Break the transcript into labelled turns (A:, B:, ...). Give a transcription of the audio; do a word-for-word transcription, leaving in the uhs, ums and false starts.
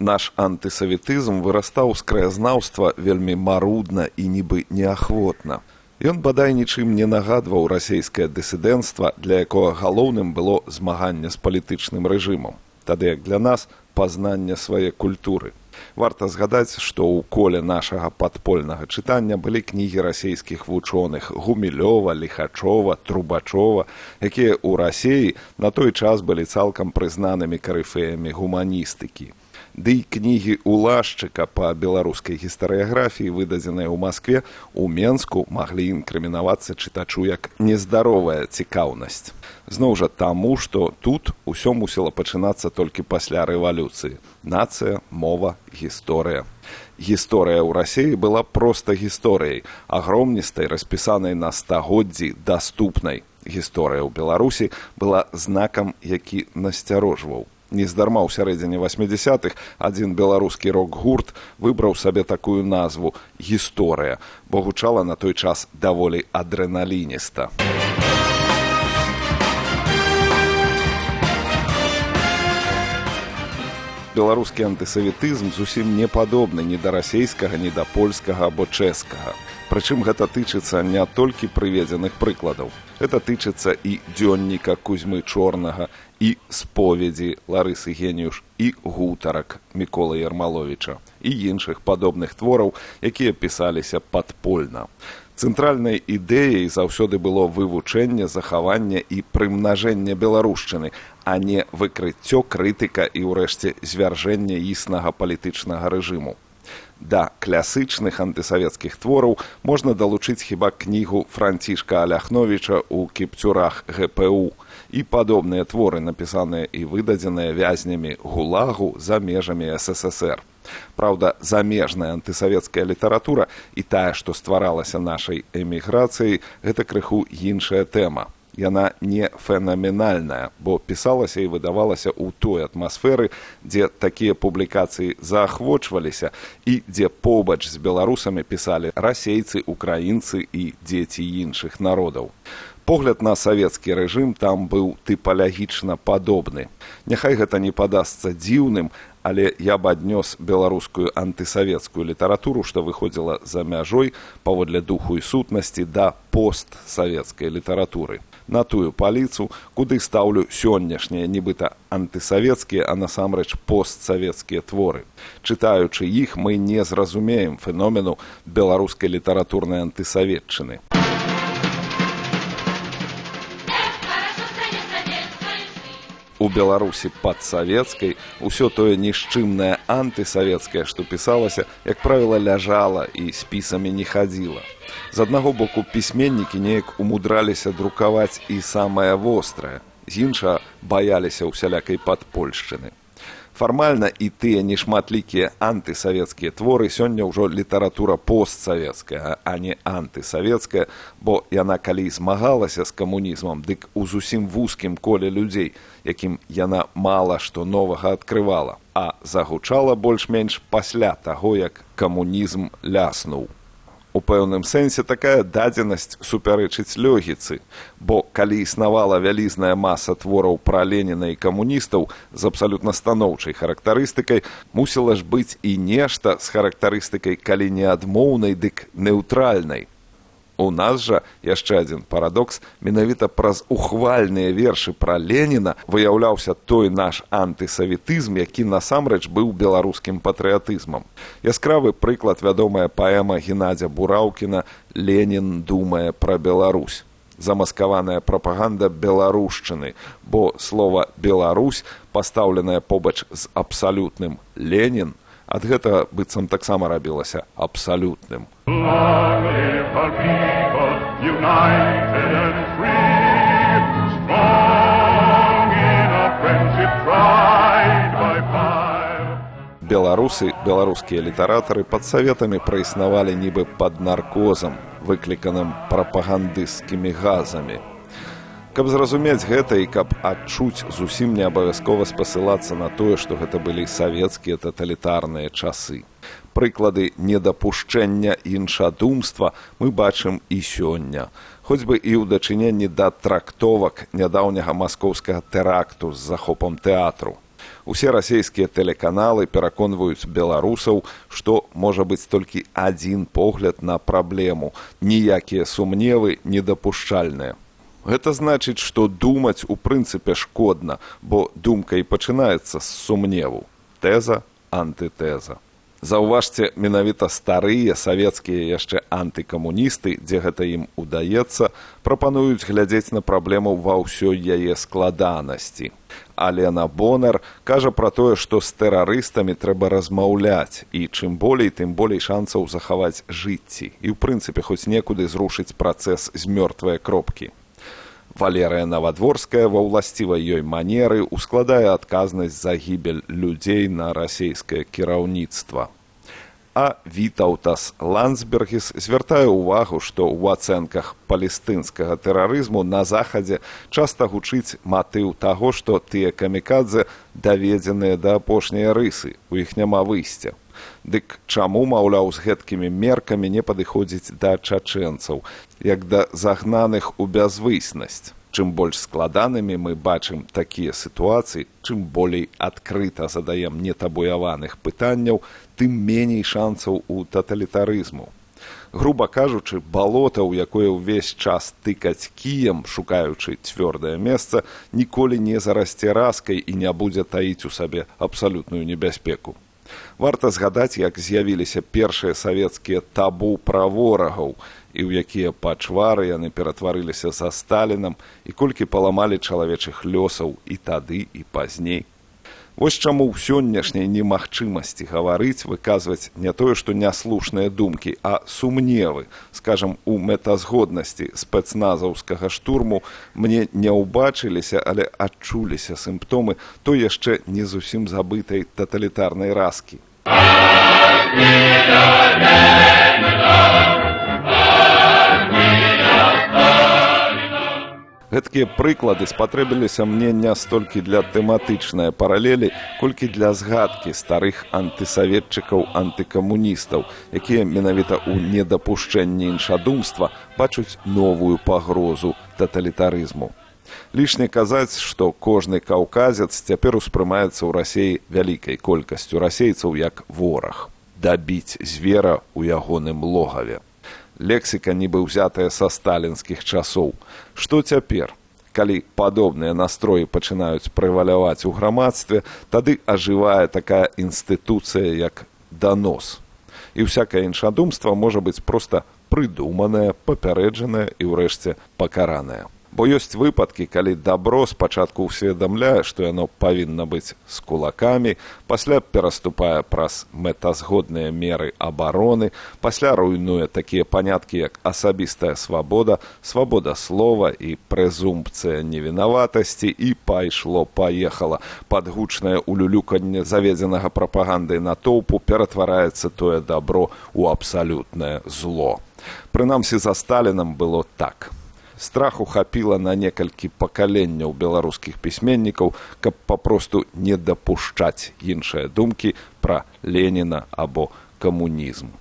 A: Наш антысаветызм вырастаў з краязнаўства вельмі марудна і нібы неахвотна. Ён бадай нічым не нагадваў расейскае дысідэнцтва, для якога галоўным было змаганне з палітычным рэжымам. Тады як для нас пазнанне свае культуры. Варта згадаць, што ў коле нашага падпольнага чытання былі кнігі расейскіх вучоных Гумілёва, Ліхачова, Трубачова, якія ў Расеі на той час былі цалкам прызнанымі карыфеямі гуманістыкі. Ды і кнігі Улашчыка па беларускай гістарыяграфіі, выдадзеныя ў Маскве, у Менску маглі інкрымінавацца чытачу як нездаровая цікаўнасць. Зноў жа таму, што тут усё мусіла пачынацца толькі пасля рэвалюцыі. Нацыя, мова, гісторыя. Гісторыя ў Расеі была проста гісторыяй, агромністай, распісанай на стагоддзі, даступнай. Гісторыя ў Беларусі была знакам, які насцярожваў. Нездарма ў сярэдзіне васьмідзясятых адзін беларускі рок-гурт выбраў сабе такую назву «Гісторыя», бо гучала на той час даволі адрэналініста. Беларускі антысаветызм зусім не падобны ні да расейскага, ні да польскага або чэшскага. Прычым гэта тычыцца не толькі прыведзеных прыкладаў. Гэта тычыцца і дзённіка Кузьмы Чорнага, і споведзі Ларысы Геніюш, і гутарак Міколы Ярмаловіча, і іншых падобных твораў, якія пісаліся падпольна. Цэнтральнай ідэяй заўсёды было вывучэнне, захаванне і прымнажэнне беларушчыны, а не выкрыццё, крытыка і, ўрэшце, звяржэнне існага палітычнага рэжыму. Да класычных антысавецкіх твораў можна далучыць хіба кнігу Францішка Аляхновіча ў кіпцюрах гэ пэ у і падобныя творы, напісаныя і выдадзеныя вязнямі ГУЛАГу за межамі эс эс эс эр. Праўда, замежная антысавецкая літаратура і тая, што стваралася нашай эміграцыяй, гэта крыху іншая тэма. Яна не фенаменальная, бо пісалася і выдавалася ў той атмасферы, дзе такія публікацыі заахвочваліся і дзе побач з беларусамі пісалі расейцы, украінцы і дзеці іншых народаў. Погляд на савецкі рэжым там быў тыпалагічна падобны. Няхай гэта не падасца дзіўным, але я б аднёс беларускую антысавецкую літаратуру, што выходзіла за мяжой паводле духу і сутнасці да постсавецкай літаратуры. На тую паліцу, куды стаўлю сённяшнія нібыта антысавецкія, а насамрэч постсавецкія творы. Чытаючы іх, мы не зразумеем феномену беларускай літаратурнай антысаветчыны. У Беларусі падсавецкай усё тое нішчымнае антысавецкае, што пісалася, як правіла, ляжала і спісамі не хадзіла. З аднаго боку, пісьменнікі неяк умудраліся друкаваць і самае вострае, з іншага баяліся ўсялякай падпольшчыны. Фармальна і тыя нешматлікія антысавецкія творы сёння ўжо літаратура постсавецкая, а не антысавецкая, бо яна калі змагалася з камунізмам, дык у зусім вузкім коле людзей, якім яна мала што новага адкрывала, а загучала больш-менш пасля таго, як камунізм ляснуў. У пэўным сэнсе такая дадзенасць супярэчыць логіцы, бо калі існавала вялізная маса твораў пра Леніна і камуністаў з абсалютна станоўчай характарыстыкай, мусіла ж быць і нешта з характарыстыкай калі не адмоўнай, дык неўтральнай. У нас жа, яшчэ адзін парадокс, менавіта праз ухвальныя вершы пра Леніна выяўляўся той наш антысаветызм, які насамрэч быў беларускім патрыятызмам. Яскравы прыклад вядомая паэма Геннадзя Бураўкіна «Ленін думае пра Беларусь». Замаскаваная прапаганда беларушчыны, бо слова «Беларусь», пастаўленае побач з абсалютным «Ленін», ад гэтага быццам таксама рабілася абсалютным. Беларусы, беларускія літаратары пад саветамі праіснавалі нібы пад наркозам, выкліканым прапагандысцкімі газамі. Каб зразумець гэта і каб адчуць, зусім не абавязкова спасылацца на тое, што гэта былі савецкія таталітарныя часы. Прыклады недапушчэння іншадумства мы бачым і сёння, хоць бы і ў дачыненні да трактовак нядаўняга маскоўскага тэракту з захопам тэатру. Усе расійскія тэлеканалы пераконваюць беларусаў, што можа быць толькі адзін погляд на праблему. Ніякія сумневы недапушчальныя. Гэта значыць, што думаць у прынцыпе шкодна, бо думка і пачынаецца з сумневу. Тэза, антытэза. Заўважце, менавіта старыя савецкія яшчэ антыкамуністы, дзе гэта ім удаецца, прапануюць глядзець на праблему ва ўсёй яе складанасці. Алена Бонар кажа пра тое, што з тэрарыстамі трэба размаўляць, і чым болей, тым болей шансаў захаваць жыцці і, ў прынцыпе, хоць некуды зрушыць працэс з мёртвае кропкі. Валерыя Навадворская ва ўласцівай ёй манеры ускладае адказнасць за гібель людзей на расійскае кіраўніцтва. А Вітаўтас Ландсбергіс звяртае ўвагу, што ў ацэнках палестынскага тэрарызму на Захадзе часта гучыць матыў таго, што тыя камікадзе даведзеныя да апошняй рысы, у іх няма выйсця. Дык чаму, маўляў, з гэткімі меркамі не падыходзіць да чачэнцаў, як да загнаных у бязвыснасць? Чым больш складанымі мы бачым такія сітуацыі, чым болей адкрыта задаем нетабуяваных пытанняў, тым меней шансаў у таталітарызму. Груба кажучы, балота, у якое ўвесь час тыкаць кіем, шукаючы цвёрдае месца, ніколі не зарасце раскай і не будзе таіць у сабе абсалютную небяспеку. Варта згадаць, як з'явіліся першыя савецкія табу пра ворагаў, і ў якія пачвары яны ператварыліся за Сталінам, і колькі паламалі чалавечых лёсаў і тады, і пазней. Вось чаму ў сённяшняй немагчымасці гаварыць, выказваць не тое, што няслушныя думкі, а сумневы, скажам, у мэтазгоднасці спецназаўскага штурму мне не ўбачыліся, але адчуліся сімптомы той яшчэ не зусім забытай таталітарнай раскі. Гэткія прыклады спатрэбіліся мне не столькі для тэматычнай паралелі, колькі для згадкі старых антысаветчыкаў, антыкамуністаў, якія менавіта ў недапушчэнні іншадумства бачуць новую пагрозу таталітарызму. Лішне казаць, што кожны каўказец цяпер успрымаецца ў Расіі вялікай колькасцю расейцаў як вораг. Дабіць звера ў ягоным логаве. Лексіка нібы ўзятая са сталінскіх часоў. Што цяпер? Калі падобныя настроі пачынаюць прэваляваць у грамадстве, тады ажывае такая інстытуцыя, як данос. І ўсякае іншадумства можа быць проста прыдуманае, папярэджанае і ўрэшце пакаранае. Бо ёсць выпадкі, калі дабро спачатку ўсведамляе, што яно павінна быць з кулакамі, пасля пераступае праз мэтазгодныя меры абароны, пасля руйнуе такія паняткі, як асабістая свабода, свабода слова і прэзумпцыя невінаватасці, і пайшло-паехала. Пад гучнае улюлюканне заведзенага прапагандай натоўпу ператвараецца тое дабро ў абсалютнае зло. Прынамсі, за Сталінам было так. Страху хапіла на некалькі пакаленняў беларускіх пісьменнікаў, каб папросту не дапушчаць іншыя думкі пра Леніна або камунізм.